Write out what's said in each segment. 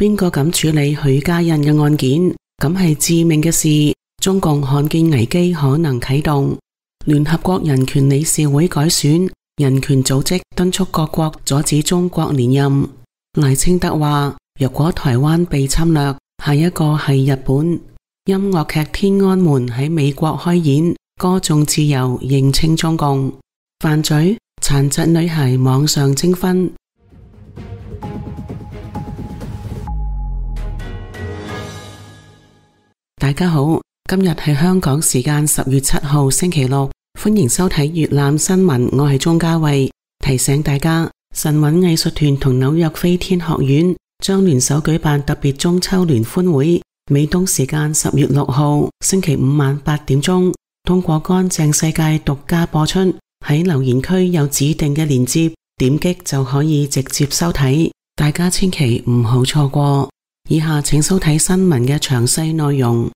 邊個敢處理許家印嘅案件？咁係致命嘅事。中共看見危機可能啟動，聯合國人權理事會改選，人權組織敦促各國阻止中國連任。賴清德話：若果台灣被侵略，下一個係日本。音樂劇《天安門》喺美國開演，歌頌自由，認清中共。犯罪，殘疾女孩網上徵婚。大家好，今日係香港時間10月7號星期六，歡迎收睇粵覽新聞，我係鍾嘉慧。提醒大家，神韻藝術團同紐約飛天學院將聯手舉辦特別中秋聯歡會，美東時間10月6號星期五晚8點鐘，通過乾淨世界獨家播出。喺留言區有指定嘅鏈接，點擊就可以直接收睇，大家千祈唔好錯過。以下請收睇新聞嘅詳細內容。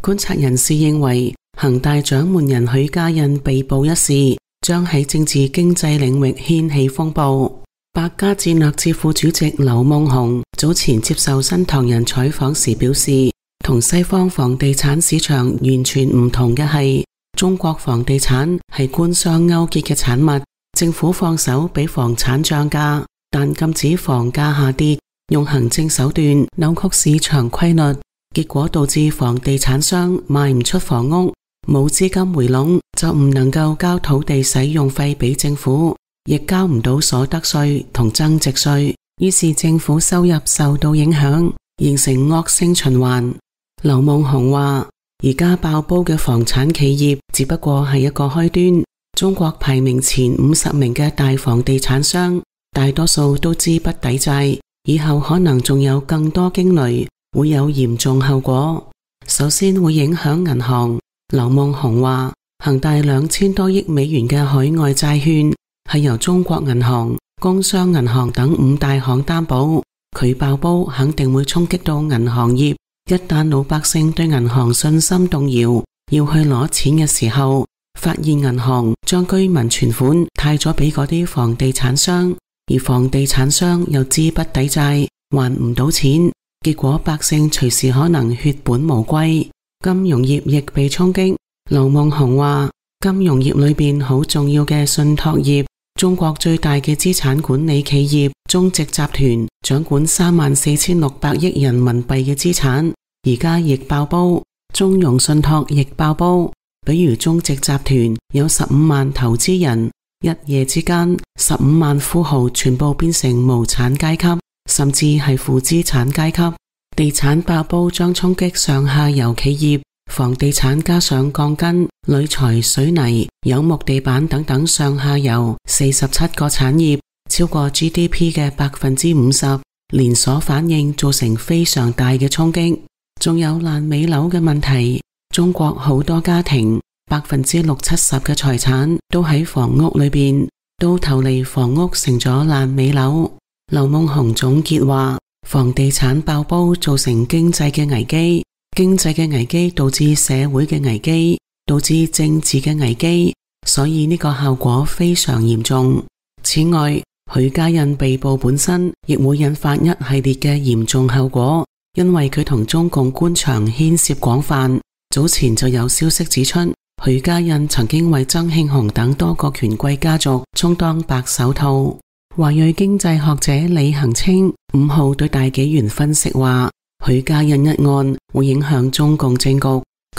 觀察人士認為，恒大掌門人許家印被捕一事將喺政治經濟領域掀起風暴。百家戰略智庫主席劉夢熊早前接受新唐人採訪時表示，同西方房地產市場完全唔同嘅係，中國房地產係官商勾結嘅產物，政府放手俾房產漲價，但禁止房價下跌，用行政手段扭曲市場規律，結果導致房地產商賣唔出房屋，冇資金回籠，就唔能夠交土地使用費俾政府，亦交唔到所得稅同增值稅，於是政府收入受到影響，形成惡性循環。劉夢熊話，而家爆煲嘅房產企業只不過係一個開端，中國排名前50名嘅大房地產商，大多數都資不抵債，以後可能仲有更多驚雷，會有嚴重後果。首先會影響銀行。劉夢熊話，恒大2000多億美元嘅海外債券係由中國銀行、工商銀行等5大行擔保，佢爆煲肯定會衝擊到銀行業。一旦老百姓對銀行信心動搖，要去攞錢嘅時候，發現銀行將居民存款貸咗俾嗰啲房地產商，而房地產商又資不抵債，還唔到錢，結果百姓隨時可能血本無歸。金融業亦被衝擊。劉夢熊話，金融業裏邊好重要嘅信託業，中國最大嘅資產管理企業中植集團掌管34600億人民幣嘅資產，而家亦爆煲。中融信託亦爆煲，比如中植集團有15萬投資人，一夜之間15萬富豪全部變成無產階級，甚至係負資產階級。地產爆煲將衝擊上下游企業，房地產加上鋼筋、鋁材、水泥、有木地板等等上下游47個產業，超過 GDP 嘅50%，連鎖反應造成非常大嘅衝擊。仲有爛尾樓嘅問題，中國好多家庭60-70%嘅財產都喺房屋裏邊，到頭嚟房屋成咗爛尾樓。劉夢熊總結話，房地產爆煲造成經濟嘅危機，經濟嘅危機導致社會嘅危機，導致政治嘅危機，所以呢個效果非常嚴重。此外，許家印被捕本身亦會引發一系列嘅嚴重後果，因為佢同中共官場牽涉廣泛。早前就有消息指出，許家印曾經為曾慶紅等多個權貴家族充當白手套。華裔經濟學者李恒清5號對大紀元分析話，許家印一案會影響中共政局，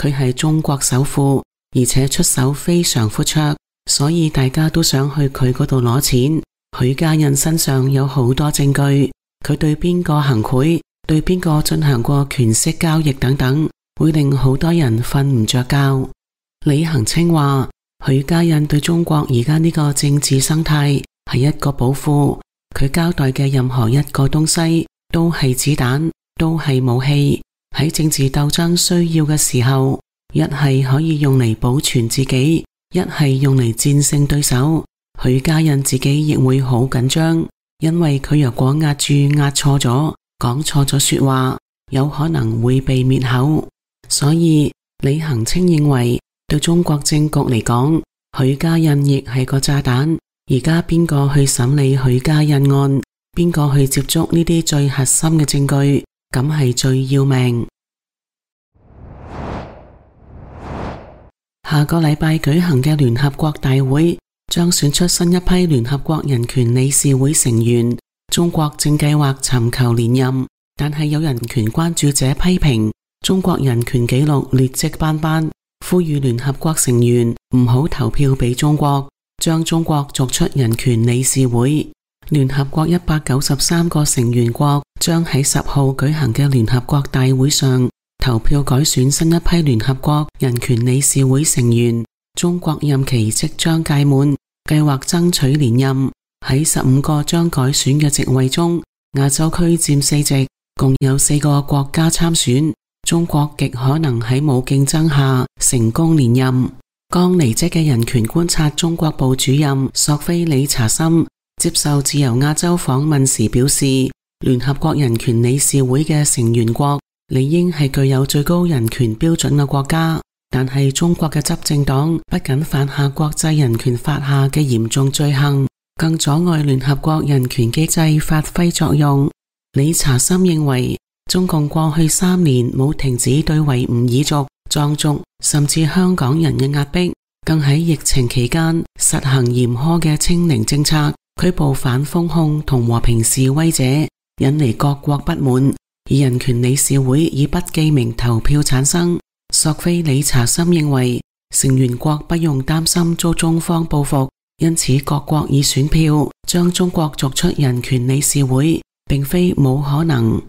佢係中國首富，而且出手非常闊綽，所以大家都想去佢嗰度攞錢。許家印身上有好多證據，佢對邊個行賄，對邊個進行過權色交易等等，會令好多人瞓唔着覺。李恒清話，許家印對中國而家呢個政治生態係一個寶庫，佢交代嘅任何一個東西都係子彈，都係武器，喺政治鬥爭需要嘅時候，一係可以用嚟保存自己，一係用嚟戰勝對手。許家印自己亦會好緊張，因為佢若果壓錯咗，講錯咗說話，有可能會被滅口。所以李恒清認為，對中國政局嚟講，許家印亦係個炸彈。而家邊個去審理許家印案，邊個去接觸呢啲最核心嘅證據，咁係最要命。下個禮拜舉行嘅聯合國大會將選出新一批聯合國人權理事會成員。中國正計劃尋求連任，但係有人權關注者批評中國人權紀錄劣跡斑斑，呼籲聯合國成員唔好投票俾中國，將中國逐出人權理事會。聯合國193個成員國將喺10號舉行嘅聯合國大會上投票改選新一批聯合國人權理事會成員。中國任期即將屆滿，計劃爭取連任。喺15個將改選嘅席位中，亞洲區佔4席，共有4個國家參選。中國極可能喺冇競爭下成功連任。剛離職嘅人權觀察中國部主任索菲理查森接受自由亞洲訪問時表示，聯合國人權理事會嘅成員國理應係具有最高人權標準嘅國家，但係中國嘅執政黨不僅犯下國際人權法下嘅嚴重罪行，更阻礙聯合國人權機制發揮作用。理查森認為，中共過去3年冇停止對維吾爾族、藏族甚至香港人嘅壓迫，更喺疫情期間實行嚴苛嘅清零政策，拘捕反封控同和平示威者，引嚟各國不滿。而人權理事會以不記名投票產生。索菲理查森認為，成員國不用擔心遭中方報復，因此各國以選票將中國逐出人權理事會並非冇可能。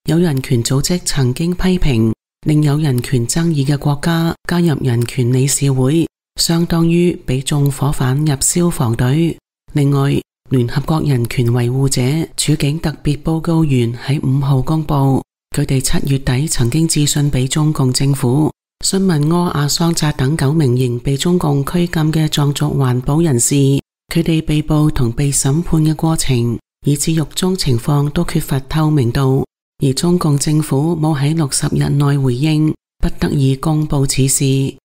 有人權組織曾經批評，另有人權爭議嘅國家加入人權理事會，相當於俾縱火犯入消防隊。另外，聯合國人權維護者處境特別報告員喺5號公佈，佢哋7月底曾經致信俾中共政府，詢問柯阿桑扎等9名仍被中共拘禁嘅藏族環保人士，佢哋被捕同被審判嘅過程，以至獄中情況都缺乏透明度，而中共政府冇喺60日內回應，不得已公佈此事。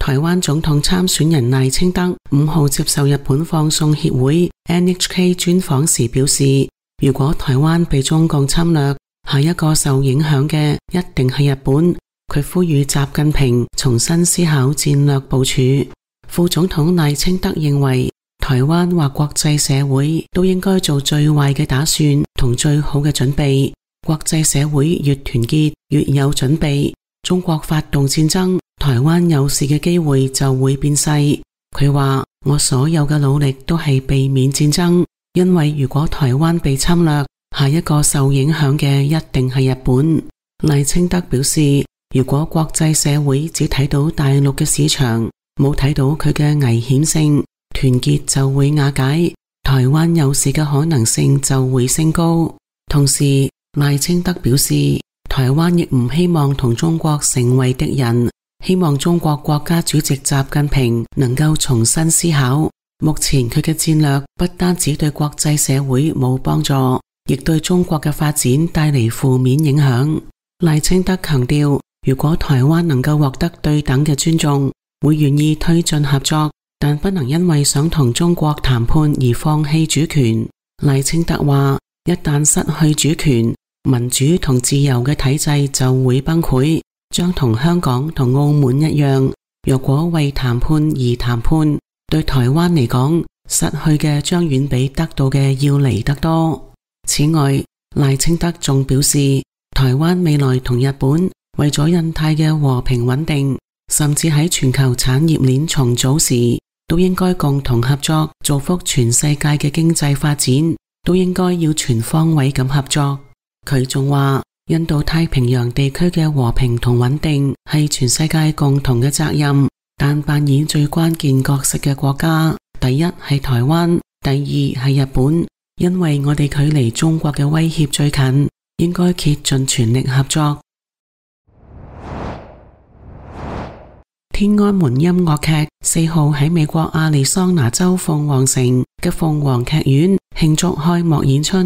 台灣總統參選人賴清德5號接受日本放送協會 NHK 專訪時表示，如果台灣被中共侵略，下一個受影響嘅一定係日本。佢呼籲習近平重新思考戰略部署。副總統賴清德認為，台灣或國際社會都應該做最壞嘅打算同最好嘅準備。國際社會越團結越有準備。中國發動戰爭，台灣有事嘅機會就會變細。佢話，我所有嘅努力都係避免戰爭，因為如果台灣被侵略，下一個受影響嘅一定係日本。賴清德表示，如果國際社會只睇到大陸嘅市場，冇睇到佢嘅危險性，團結就會瓦解，台灣有事嘅可能性就會升高。同時，賴清德表示，台灣亦唔希望同中國成為敵人，希望中國國家主席習近平能夠重新思考。目前佢嘅戰略不單止對國際社會冇幫助，亦對中國嘅發展帶嚟負面影響。賴清德強調，如果台灣能夠獲得對等嘅尊重，會願意推進合作，但不能因為想同中國談判而放棄主權。賴清德話，一旦失去主權，民主同自由嘅體制就會崩潰，將同香港同澳門一樣。若果為談判而談判，對台灣嚟講，失去嘅將遠比得到嘅要嚟得多。此外，賴清德仲表示，台灣未來同日本為咗印太嘅和平穩定，甚至喺全球產業鏈重組時，都應該共同合作，造福全世界嘅經濟發展，都應該要全方位咁合作。佢仲話，印度太平洋地區嘅和平同穩定係全世界共同嘅責任，但扮演最關鍵角色嘅國家，第一係台灣，第二係日本，因為我哋距離中國嘅威脅最近，應該竭盡全力合作。天安門音樂劇4號喺美國亞利桑那州鳳凰城嘅鳳凰劇院慶祝開幕演出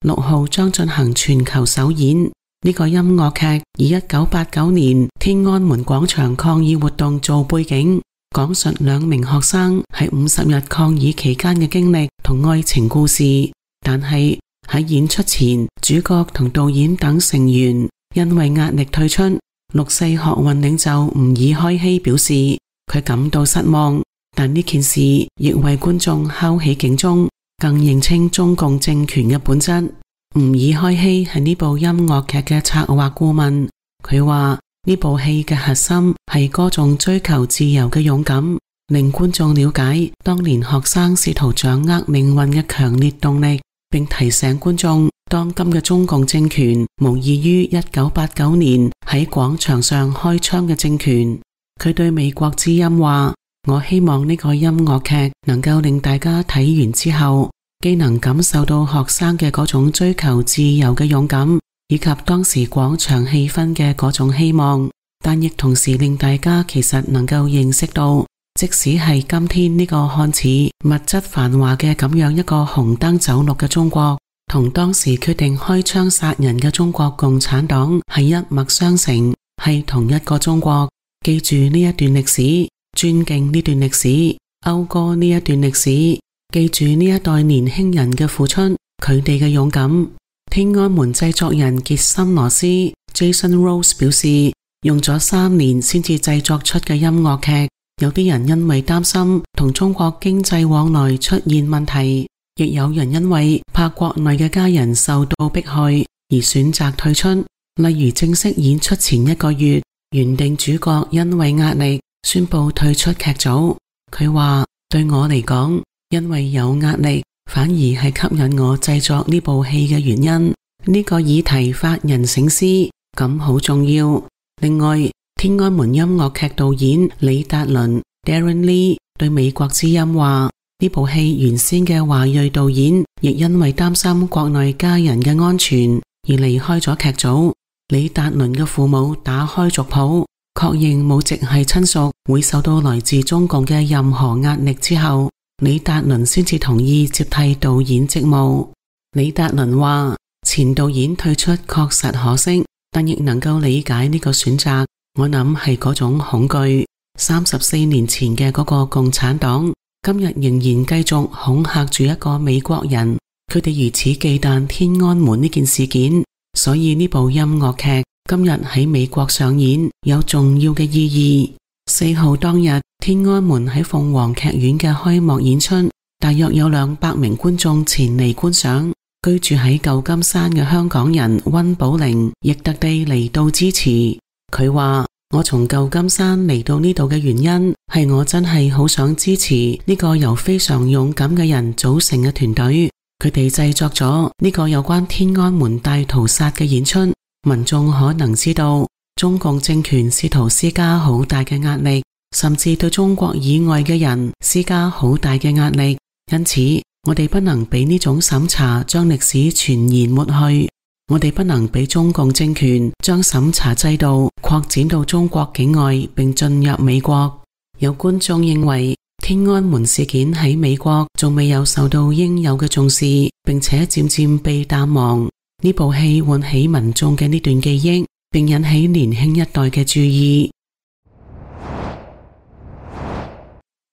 ，6號將進行全球首演。呢個音樂劇以1989年天安門廣場抗議活動做背景，講述兩名學生喺50日抗議期間嘅經歷同愛情故事，但係喺演出前，主角同導演等成員因為壓力退出。六四學運領袖吾爾開希表示佢感到失望，但呢件事亦為觀眾敲起警鐘，更認清中共政權嘅本質。吾爾開希係呢部音樂劇嘅策劃顧問，佢話呢部戲嘅核心係歌頌追求自由嘅勇敢，令觀眾了解當年學生試圖掌握命運嘅強烈動力，並提醒觀眾當今嘅中共政權無異於1989年喺廣場上開槍嘅政權。佢對美國之音話：我希望呢個音樂劇能夠令大家睇完之後，既能感受到學生嘅嗰種追求自由嘅勇敢，以及當時廣場氣氛嘅嗰種希望，但亦同時令大家其實能夠認識到，即使係今天呢個看似物質繁華嘅咁樣一個紅燈走綠嘅中國，同當時決定開槍殺人嘅中國共產黨係一脈相承，係同一個中國。記住呢一段歷史，尊敬呢段歷史，謳歌呢一段歷史，記住呢一代年輕人嘅付出，佢哋嘅勇敢。天安門製作人傑森羅斯 Jason Rose 表示，用咗3年先至製作出嘅音樂劇，有啲人因為擔心同中國經濟往來出現問題，亦有人因為怕國內嘅家人受到迫害而選擇退出。例如正式演出前1個月，原定主角因為壓力宣布退出劇組。佢話：對我嚟講，因為有壓力反而係吸引我製作呢部戲嘅原因。呢個議題發人省思，咁好重要。另外，天安門音樂劇導演李達倫 Darren Lee 對美國之音話：呢部戲原先嘅華裔導演亦因為擔心國內家人嘅安全而離開咗劇組。李達倫嘅父母打開族譜，確認冇直系親屬會受到來自中共嘅任何壓力之後，李達倫先至同意接替導演職務。李達倫話：前導演退出確實可惜，但亦能夠理解呢個選擇。我諗係嗰種恐懼。34年前嘅嗰個共產黨，今日仍然繼續恐嚇住一個美國人，佢哋如此忌憚天安門呢件事件。所以呢部音樂劇今日喺美國上演有重要嘅意義。4號當日，天安門喺鳳凰劇院嘅開幕演出，大約有200名觀眾前嚟觀賞。居住喺舊金山嘅香港人溫寶玲亦特地嚟到支持。佢話：我從舊金山嚟到呢度嘅原因係我真係好想支持呢個由非常勇敢嘅人組成嘅團隊。佢哋製作咗呢個有關天安門大屠殺嘅演出，民眾可能知道中共政權試圖施加好大嘅壓力，甚至對中國以外嘅人施加好大嘅壓力。因此，我哋不能俾呢種審查將歷史全然抹去，我哋不能俾中共政權將審查制度擴展到中國境外並進入美國。有觀眾認為，天安門事件喺美國仲未有受到應有嘅重視，並且漸漸被淡忘。呢部戲喚起民眾嘅呢段記憶，並引起年輕一代嘅注意。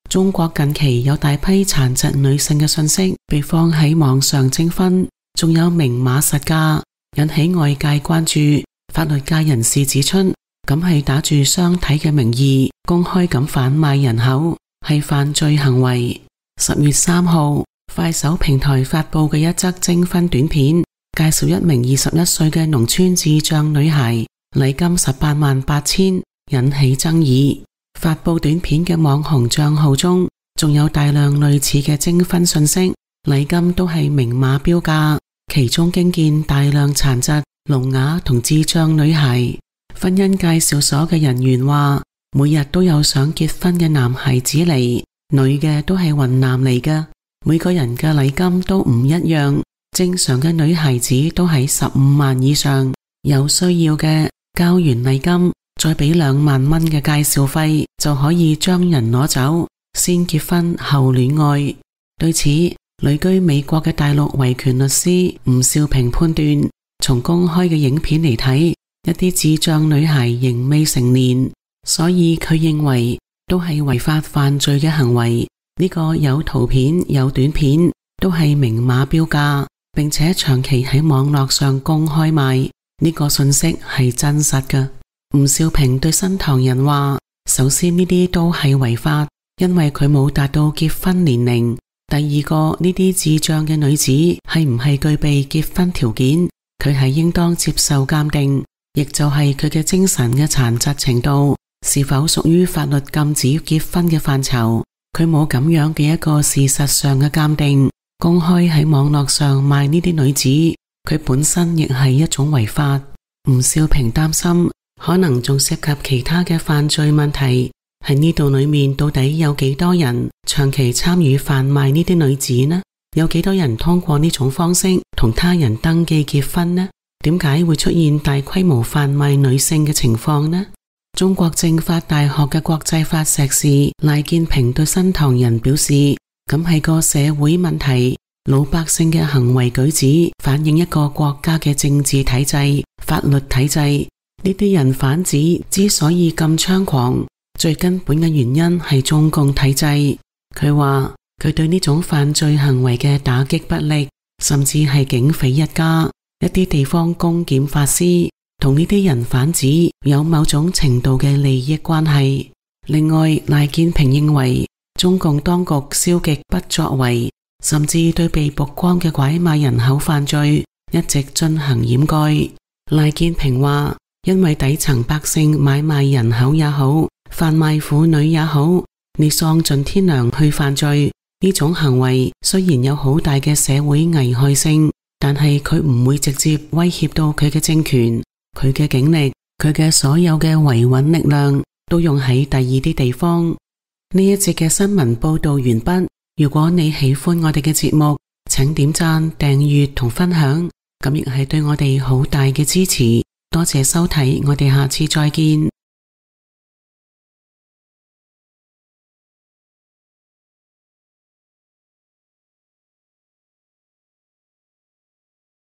中國近期有大批殘疾女性嘅信息被放喺網上徵婚，仲有明碼實價，引起外界關注。法律界人士指出，咁係打住相睇嘅名義公開咁販賣人口，係犯罪行為。10月3號，快手平台發佈嘅一則徵婚短片，介紹一名21歲嘅農村智障女孩，禮金188000，引起爭議。發佈短片嘅網紅賬號中，仲有大量類似嘅徵婚信息，禮金都係明碼標價，其中驚見大量殘疾、聾啞同智障女孩。婚姻介紹所嘅人員話，每日都有想結婚嘅男孩子嚟，女嘅都係雲南嚟嘅，每個人嘅禮金都唔一樣，正常嘅女孩子都喺15萬以上，有需要嘅交完禮金再俾2萬蚊嘅介紹費就可以將人攞走，先結婚後戀愛。對此，旅居美國嘅大陸維權律師吳少平判斷，從公開嘅影片嚟睇，一啲智障女孩仍未成年，所以佢認為都係違法犯罪嘅行為。呢個有圖片有短片，都係明碼標價，並且長期喺網絡上公開賣。呢個信息係真實嘅。吳少平對新唐人話，首先呢啲都係違法，因為佢冇達到結婚年齡。第二個，呢啲智障嘅女子係唔係具備結婚條件，佢係應當接受鑑定，亦就係佢嘅精神嘅殘疾程度是否屬於法律禁止結婚嘅範疇。佢冇咁樣嘅一個事實上嘅鑑定，公開喺網絡上賣呢啲女子，佢本身亦係一種違法。吳少平擔心可能仲涉及其他嘅犯罪問題，喺呢度裏面到底有幾多人長期參與販賣呢啲女子呢？有幾多人通過呢種方式同他人登記結婚呢？點解會出現大規模販賣女性嘅情況呢？中國政法大學嘅國際法碩士賴建平對新唐人表示，咁係個社會問題，老百姓嘅行為舉止反映一個國家嘅政治體制、法律體制。呢啲人販子之所以咁猖狂，最根本嘅原因係中共體制。佢話佢對呢種犯罪行為嘅打擊不力，甚至係警匪一家。一啲地方公檢法師同呢啲人販子有某種程度嘅利益關係。另外，賴建平認為中共當局消極不作為，甚至對被曝光嘅拐賣人口犯罪一直進行掩蓋。賴建平話，因為底層百姓買賣人口也好，販賣婦女也好，你喪盡天良去犯罪，呢種行為雖然有好大嘅社會危害性，但係佢唔會直接威脅到佢嘅政權。佢嘅警力，佢嘅所有嘅維穩力量都用喺第二啲地方。呢一節嘅新聞報道完畢。如果你喜歡我哋嘅節目，請點讚、訂閱同分享，咁亦係對我哋好大嘅支持。多謝收睇，我哋下次再見。